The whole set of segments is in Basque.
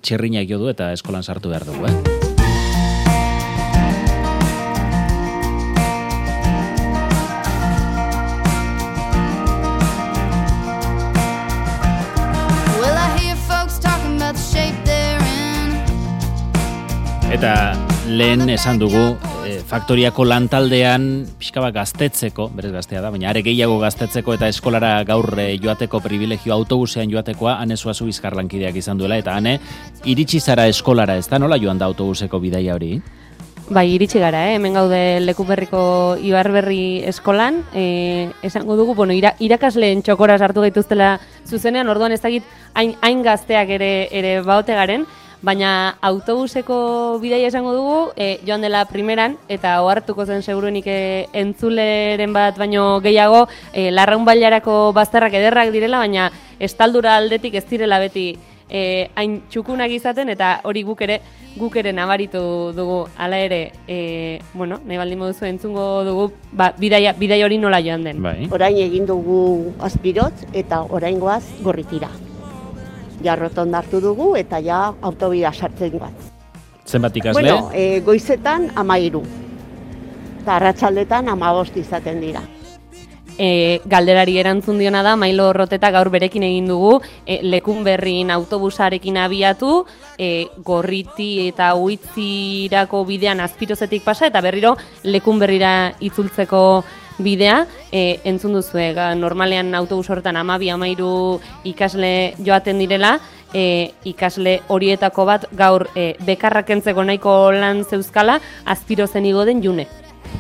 Txirrinak jo du eta eskolan sartu behar dugu, Eta lehen esan dugu, faktoriako lantaldean pixka bat gaztetzeko, berez gaztea da, baina are gehiago gaztetzeko eta eskolara gaur joateko privilegio autobusean joatekoa, Ane Zuazu bizkarlankideak izan duela, eta Ane, iritsi zara eskolara, ez da nola joan da autobuseko bidaia hori? Bai, iritsi gara, hemen gaude Lekuberriko Ibarberri eskolan, esango dugu, bueno, irakasleen txokora sartu gaituztela zuzenean, orduan ez dakit hain gazteak ere baote garen, baina autobuseko bidaia esango dugu, joan dela primeran, eta ohartuko zen seguruenik entzuleren bat baino gehiago, Larraun Bailarako bazterrak ederrak direla, baina estaldura aldetik ez direla beti hain txukunak izaten, eta hori guk ere nabaritu dugu, hala ere, nahi baldin moduzu entzungo dugu, bidaia hori nola joan den. Bai. Orain egin dugu Azpirotz eta oraingoaz Gorritira. Ja rotonda hartu dugu eta ja autobida sartzen bat. Zenbat ikasle? Bueno, goizetan 13. Eta arratsaldetan 15 izaten dira. Galderari erantzun diona da, Mailo Roteta gaur berekin egin dugu, Lekunberrin autobusarekin abiatu, Gorriti eta Uitzirako bidean Azpirozetik pasa, eta berriro Lekunberrira itzultzeko bidea, entzun duzue, normalean autobus horretan 12-13 ikasle joaten direla, ikasle horietako bat gaur bekarrak kentzeko nahiko lan zeuzkala, Azpirozen igo den June.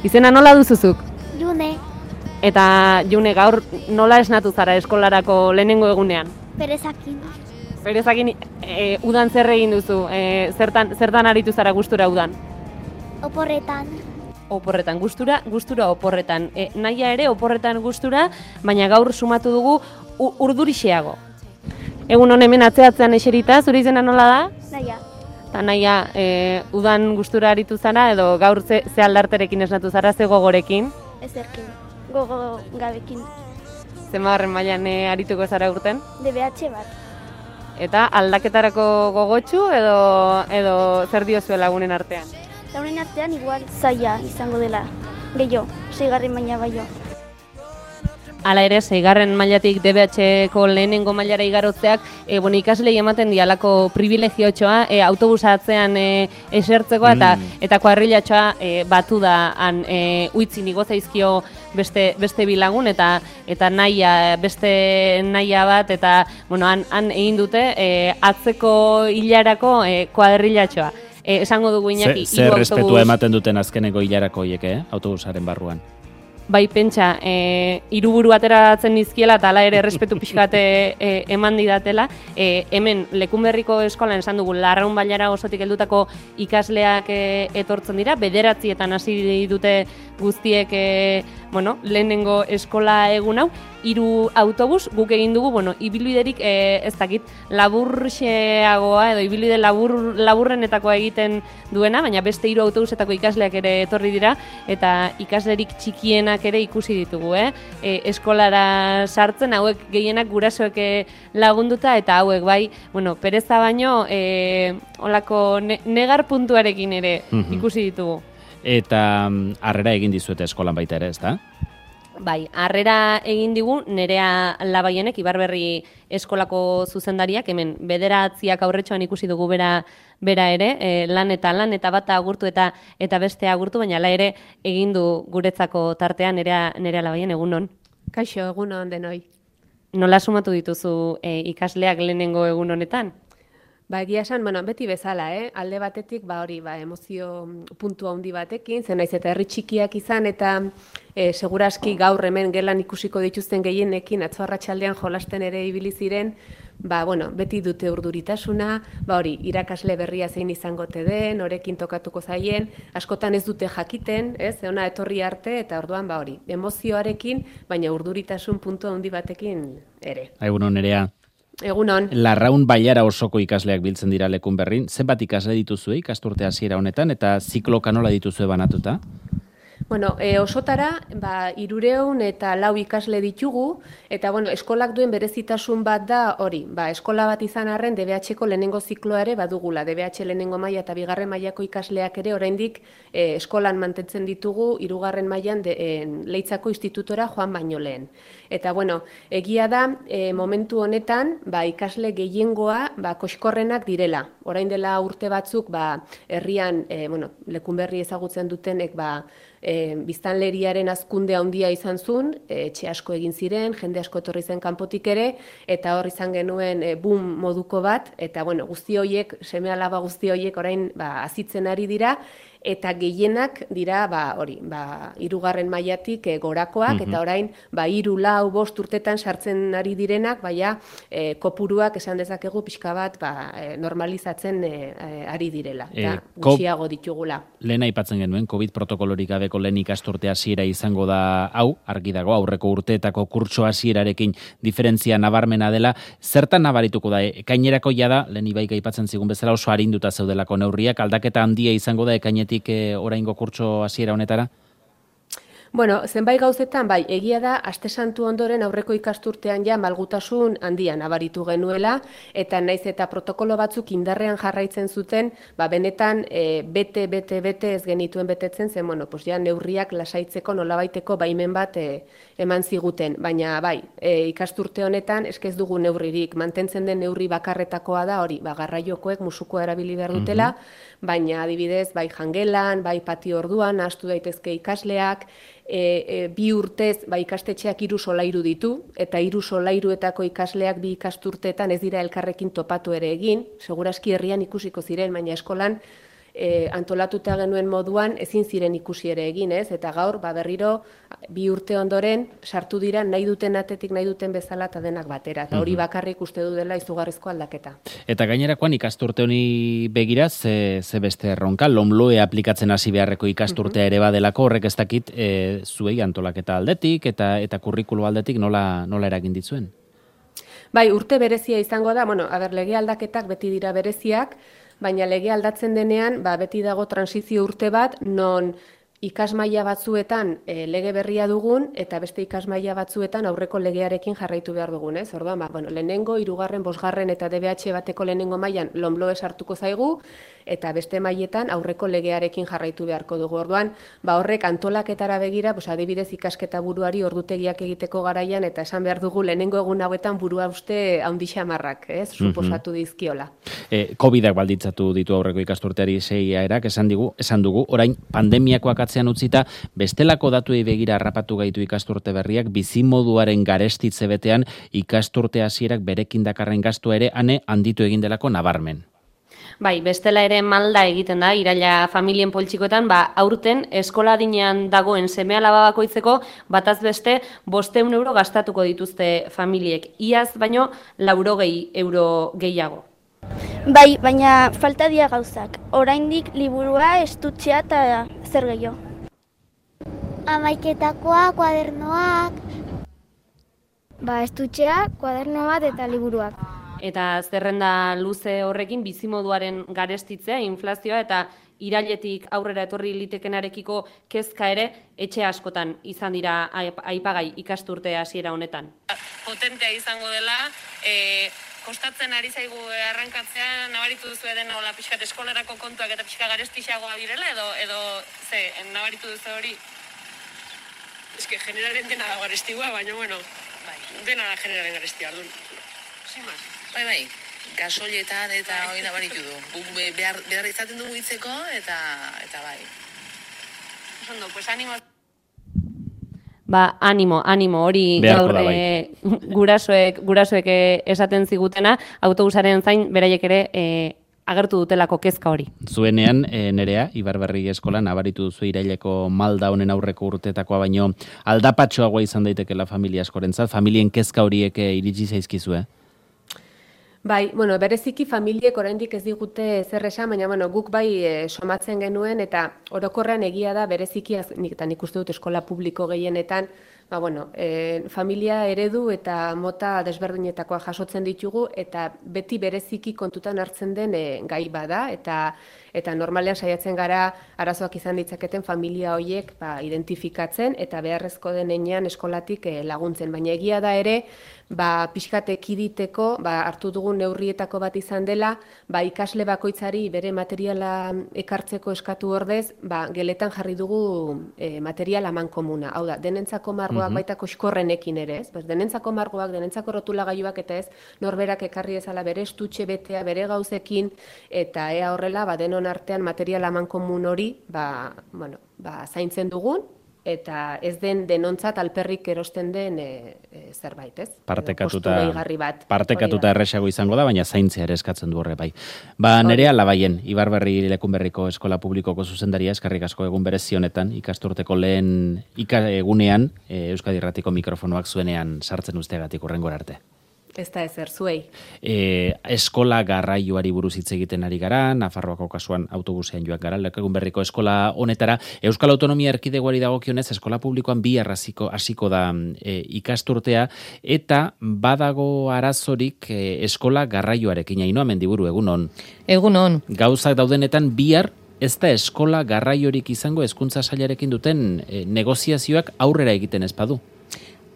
Izena nola duzuzuk? June. Eta June, gaur nola esnatu zara eskolarako lehenengo egunean? Perezakin. Perezakin, udan zer egin duzu? Zertan aritu zara gustura udan? Oporretan. Oporretan, gustura oporretan. Naia ere oporretan gustura, baina gaur sumatu dugu urdurixeago. Egun hemen atzeatzean eserita, zure izena nola da? Naia. Eta naia, udan gustura aritu zara, edo gaur ze aldarterekin esnatu zara, ze gogorekin? Ezerkin. Gogo gabekin. Zenbagarren mailan arituko zara urten? DBH bat. Eta aldaketarako gogotsu edo zer diozue lagunen artean? Lagunen artean igual zaila izango dela. Gehiago, 6. maila baino. Hala ere, 6. mailatik DBH-ko lehenengo mailara igarotzeak, ikaslei ematen dialako privilegiotxoa, autobusa atzean esertzeko eta kuadrilatxoa batu da han Uitzin igo zaizkio beste bilagun eta naia, beste naia bat, eta han egin dute atzeko hilarako kuadrilatxoa. Esango dugu Iñaki, zer respetua ematen duten azkeneko hilarako hiek, autobusaren barruan? Bai, pentsa, hiruburu ateratzen nizkiela eta hala ere errespetu pixkate eman didatela. Hemen, Lekunberriko eskolan esan dugu, Larraun Bailara osotik heldutako ikasleak etortzen dira, 9etan hasi dute guztiek lehenengo eskola egun hau, 3 autobus, guk egin dugu, ibilbiderik ez dakit, laburxeagoa edo ibilbide laburrenetakoa egiten duena, baina beste 3 autobusetako ikasleak ere etorri dira, eta ikaslerik txikienak ere ikusi ditugu, eskolara sartzen, hauek gehienak gurasoek lagunduta, eta hauek bai, pereza baino, olako negar puntuarekin ere ikusi ditugu. Eta harrera egin dizuete eskolan baita ere, ez da? Bai, harrera egin digu Nerea Labaienek, Ibarberri eskolako zuzendariak, hemen 9 aurretxoan ikusi dugu bera ere, lan eta bata agurtu eta beste agurtu, baina hala ere egin du guretzako tartean Nerea Labaien, egunon. Kaixo, egunon denoi. Nola sumatu dituzu ikasleak lehenengo egun honetan? Egia esan, beti bezala, alde batetik, emozio puntu handi batekin, zen naiz eta herri txikiak izan, eta seguraski gaur hemen gelan ikusiko dituzten gehienekin, atzo arratsaldean jolasten ere ibili ziren, beti dute urduritasuna, irakasle berria zein izango te den, horekin tokatuko zaien, askotan ez dute jakiten, ona etorri arte, eta orduan, emozioarekin, baina urduritasun puntu handi batekin ere. Egunon, Nerea. Egunon. Larraun Bailara osoko ikasleak biltzen dira Lekunberrin. Zenbat ikasle dituzue ikasturte hasiera honetan eta zikloka nola dituzue banatuta? Bueno, osotara, 300 eta 4 ikasle ditugu, eta bueno, eskolak duen berezitasun bat da hori. Eskola bat izan arren DBH-ko lehenengo zikloa ere badugula. DBH lehenengo maila eta 2. mailako ikasleak ere oraindik eskolan mantentzen ditugu 3. mailan Leitzako institutora joan baino lehen. Eta bueno, egia da momentu honetan ikasle gehiengoa koxkorrenak direla. Orain dela urte batzuk herrian Lekunberri ezagutzen dutenek biztanleriaren hazkunde handia izan zuen, etxe asko egin ziren, jende asko etorri zen kanpotik ere, eta hor izan genuen boom moduko bat, eta bueno, guzti horiek, seme-alaba guzti horiek orain azitzen ari dira, eta gehienak dira 3. mailatik gorakoak, eta orain 3, 4, 5 urtetan sartzen ari direnak, kopuruak esan dezakegu pixka bat normalizatzen ari direla, eta gutxiago ditugula. Lehen aipatzen genuen, COVID protokolorik gabeko lehen ikasturte hasiera izango da hau, argi dago aurreko urteetako kurtso hasierarekin diferentzia nabarmena dela, zertan nabarituko da, ekainerako jada, lehen Ibaik aipatzen zigun bezala oso arinduta zeudelako neurriak, aldaketa handia izango da ekainetik oraingo kurtso hasiera honetara? Bueno, zenbait gauzetan, egia da, Aste Santu ondoren aurreko ikasturtean malgutasun handia nabaritu genuela, eta naiz eta protokolo batzuk indarrean jarraitzen zuten, benetan bete ez genituen betetzen, zen, neurriak lasaitzeko nolabaiteko baimen bat eman ziguten. Baina, ikasturte honetan, eskez dugu neurririk, mantentzen den neurri bakarretakoa da, hori, garraiokoek musukoa erabili behar dutela, baina adibidez, jangelan, patio orduan, ahaztu daitezke ikasleak, 2 urtez ikastetxeak 3 solairu ditu, eta 3 solairuetako ikasleak 2 ikasturteetan ez dira elkarrekin topatu ere egin, seguraski herrian ikusiko ziren, baina eskolan antolatuta genuen moduan ezin ziren ikusi ere egin, ez? Eta gaur, berriro, 2 urte ondoren sartu dira nahi duten atetik nahi duten bezala eta denak batera. Eta hori bakarrik uste du dela izugarrizko aldaketa. Eta gainerakoan ikasturte honi begira, ze beste erronka, LOMLOE aplikatzen hasi beharreko ikasturtea ere badelako, horrek ez dakit zuei antolaketa aldetik eta kurrikulu aldetik nola eragin ditzuen? Urte berezia izango da, lege aldaketak beti dira bereziak, baina lege aldatzen denean, beti dago transizio urte bat, non ikasmaila batzuetan lege berria dugun, eta beste ikasmaila batzuetan aurreko legearekin jarraitu behar dugun, ez? Orduan, lehenengo, 3., 5. eta DBH bateko lehenengo mailan LOMLOE sartuko zaigu, eta beste mailetan aurreko legearekin jarraitu beharko dugu. Orduan, horrek antolaketara begira, adibidez ikasketa buruari ordutegiak egiteko garaian, eta esan behar dugu lehenengo egun hauetan burua uste handi xamarrak, ez? Suposatu dizkiola. COVID-ak balditzatu ditu aurreko ikasturteari 6 erak, esan dugu, orain pandemiakoak atzean utzita, bestelako datuei begira harrapatu gaitu ikasturte berriak, bizimoduaren garestitze betean ikasturte hasierak berekin dakarren gastua ere handitu egin delako nabarmen. Bestela ere malda egiten da, iraila familien poltsikoetan, aurten eskola adinean dagoen seme-alaba bakoitzeko bataz beste 500 euro gastatuko dituzte familiek. Iaz baino 80 euro gehiago. Baina falta dira gauzak. Oraindik liburua, estutzea eta zer gehiago. Hamaiketakoa, kuadernoak. Estutzea, kuaderno bat eta liburuak. Eta zerrenda luze horrekin bizimoduaren garestitzea, inflazioa eta irailetik aurrera etorri litekenarekiko kezka ere etxe askotan izan dira aipagai ikasturte hasiera honetan. Potentea izango dela, kostatzen ari zaigu arrankatzea, nabaritu duzu dena hola pixkat eskolarako kontuak eta pixka garestixagoa direla, edo nabaritu duzu hori? Eske generalen dena da garestigua, baina dena da generalen garestia, ardun. Sin más. Bai, gasolietan eta hori nabaritu du. Behar izaten dugu hitzeko eta bai. Ondo, pues animo. Animo, hori gaur gurasoek esaten zigutena, autobusaren zain beraiek ere agertu dutelako kezka hori. Zuenean, Nerea, Ibarberri eskolan nabaritu duzu iraileko malda honen aurreko urtetakoa, baino aldapatxoagoa izan daitekela familia askorentzat, familien kezka horiek iritsi zaizkizue? Bereziki familiek oraindik ez digute zer esan, baina guk somatzen genuen, eta orokorrean egia da bereziki, eta nik uste dut eskola publiko gehienetan, familia eredu eta mota desberdinetakoa jasotzen ditugu eta beti bereziki kontutan hartzen den gai bada eta normalean saiatzen gara arazoak izan ditzaketen familia horiek identifikatzen eta beharrezko denean eskolatik laguntzen. Baina egia da ere, pixkat ekiditeko hartu dugun neurrietako bat izan dela, ikasle bakoitzari bere materiala ekartzeko eskatu ordez, geletan jarri dugu material amankomuna. Hau da, denentzako margoak baita koxkorrenekin ere, ez? Denentzako margoak, denentzako rotulagailuak eta ez, norberak ekarri ezala bere estutxe betea, bere gauzekin, eta ea horrela, denon artean material amankomun hori, zaintzen dugun, eta ez den denontzat alperrik erosten den zerbait, ez? Partekatuta erresago izango da, baina zaintzea ere eskatzen du horre bai. Nerea Labaien, Ibarberri Lekunberriko Eskola Publikoko zuzendaria, eskerrik asko egun berezi honetan, ikasturteko lehen egunean, Euskadi Irratiko mikrofonoak zuenean sartzen usteagatik hurrengora arte. Ez da ezer, zuei. Eskola garraioari buruz hitz egiten ari gara, Nafarroako kasuan autobusean joak gara, Lekunberriko eskola honetara. Euskal Autonomia Erkidegoari dagokionez, eskola publikoan bihar hasiko da ikasturtea, eta badago arazorik eskola garraioarekin. Ainhoa Mendiburu, egun on. Egun on. Gauzak daudenetan bihar ez da eskola garraiorik izango hezkuntza sailarekin duten negoziazioak aurrera egiten ez badu.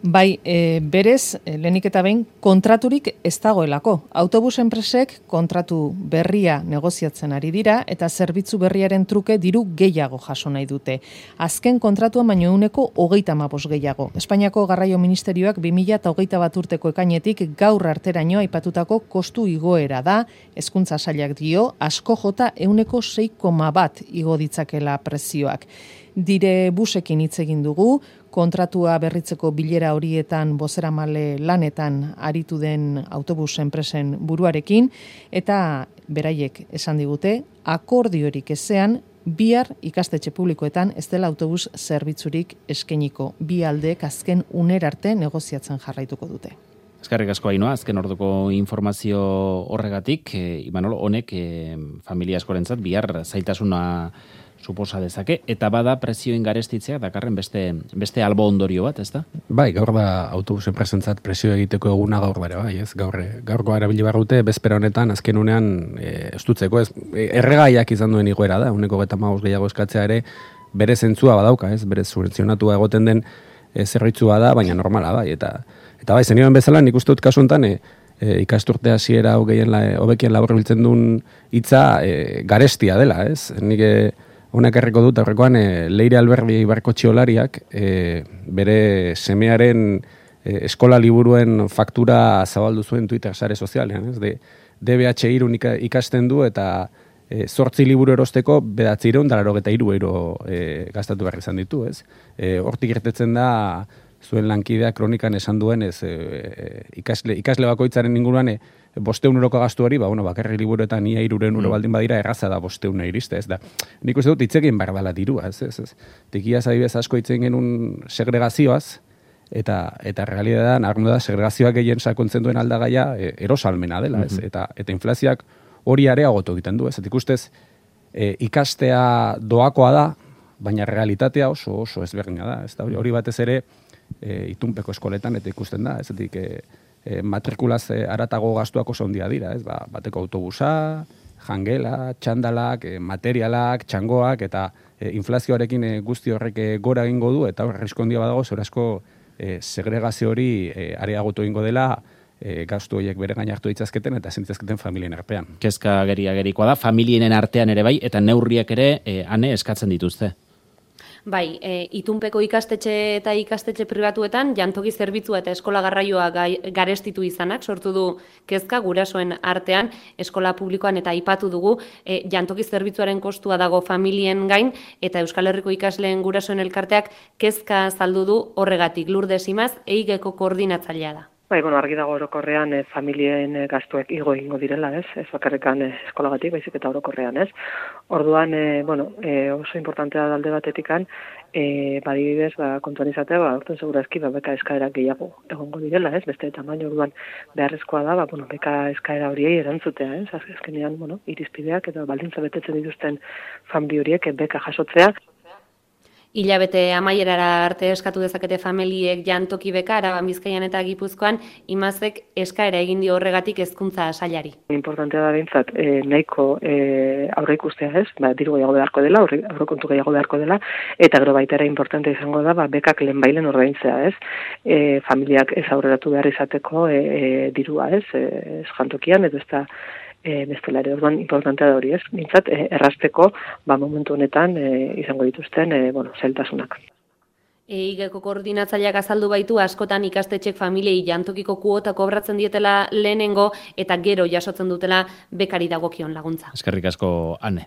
Bai, berez, lehenik eta behin, kontraturik ez dagoelako. Autobus enpresek kontratu berria negoziatzen ari dira eta zerbitzu berriaren truke diru gehiago jaso nahi dute. Azken kontratuan baino 35% gehiago. Espainiako Garraio Ministerioak 2021 urteko ekainetik gaur arteraino aipatutako kostu igoera da, hezkuntza sailak dio, asko jota 6,1 igo ditzakela prezioak. Dire busekin hitz egin dugu, kontratua berritzeko bilera horietan bozeramale lanetan aritu den autobus enpresen buruarekin, eta beraiek esan digute, akordiorik ezean, bihar ikastetxe publikoetan ez dela autobus zerbitzurik eskainiko. Bi aldeek azken unerarte negoziatzen jarraituko dute. Eskerrik asko Ainhoa, azken orduko informazio horregatik, Imanol, honek familia askorentzat bihar zailtasuna suposa dezake, eta bada prezioen garestitzea dakarren beste albo ondorio bat, ezta? Bai, gaur da autobus enpresentzat prezio egiteko eguna gaur bere, bai, ez? Gaurko erabili barrute, bezpera honetan, azken unean estutzeko, ez? Erregaiak izan duen igoera da, 1,5 gehiago eskatzea ere, bere zentzua badauka, ez? Bere subentzionatua egoten den zerbitzua da, baina normala, bai, eta bai, zenioen bezala, nik uste dut kasu honetan, ikasturte hasiera hobekien laburbiltzen duen hitza garestia dela, ez? Nik honek erreko dut, aurrekoan Leire Alberdi Ibarko txiolariak bere semearen eskola liburuen faktura zabaldu zuen Twitter sare sozialean, ez? DBH3 ikasten du eta 8 liburu erosteko 993 euro gastatu behar izan ditu, ez? Hortik irtetzen da zuen lankidea kronikan esan duen ikasle bakoitzaren inguruan 500 euroko gastu hori, bakarri liburuetan ia 300 euro baldin badira erraza da 500 iriste, ez da. Nik uste dut hitzekin behar dela dirua, ez. Tikiaz adibidez asko hitzen genuen segregazioaz, eta realitatean argundu da segregazioak gehien sakontzen duen aldagaia erosalmena dela, ez. Eta inflazioak hori areagotu egiten du, ez. Ikustez ikastea doakoa da, baina realitatea oso ezberdina da, ez da. Hori batez ere itunpeko eskoletan eta ikusten da, ez matrikulaz aratago gastuak oso handia dira, ez? Bateko autobusa, jangela, txandalak, materialak, txangoak, eta inflazioarekin guzti horrek gora egingo du, eta arrisku handia badago, zorazko segregazio hori areagotu egingo dela, gastu horiek bere gain hartu ditzazketen eta zentzazketen familien artean. Kezka gerikoa da, familienen artean ere bai, eta neurriak ere ane eskatzen dituzte. Bai, itunpeko ikastetxe eta ikastetxe pribatuetan jantoki zerbitzua eta eskola garraioa garestitu izanak sortu du kezka gurasoen artean, eskola publikoan eta aipatu dugu jantoki zerbitzuaren kostua dago familien gain eta Euskal Herriko ikasleen gurasoen elkarteak kezka azaldu du horregatik. Lourdes Imaz, EIGeko koordinatzailea da. Bai, argi dago orokorrean familien gastuek igo egingo direla, ez? Ez bakarrekan eskolagatik, baizik eta orokorrean, ez? Orduan, oso importantea da alde batetikan, badibidez, kontuan izatea, urten segurazki, beka eskaerak gehiago egongo direla, ez? Beste tamaino orduan beharrezkoa da, beka eskaera horiei erantzutea, ez? Azkenean, irizpideak eta baldintza betetzen dituzten famili horiek beka jasotzea. hilabete amaierara arte eskatu dezakete familiek jantoki beka, Araban, Bizkaian eta Gipuzkoan, Imazek eskaera egin dio horregatik hezkuntza sailari. Importantea da behintzat, nahiko aurre ikustea ez, diru gehiago beharko dela, aurrekontu gehiago beharko dela, eta gero baita ere importante izango da, bekak lehenbailen ordaintzea ez, familiak ez aurreratu behar izateko dirua ez, jantokian, edo ez da bestela ere, orduan importantea da hori ez, behintzat errazteko momentu honetan izango dituzten zailtasunak. EIGeko koordinatzaileak azaldu baitu askotan ikastetxek familiei jantokiko kuota kobratzen dietela lehenengo eta gero jasotzen dutela bekari dagokion laguntza. Eskerrik asko, Ane.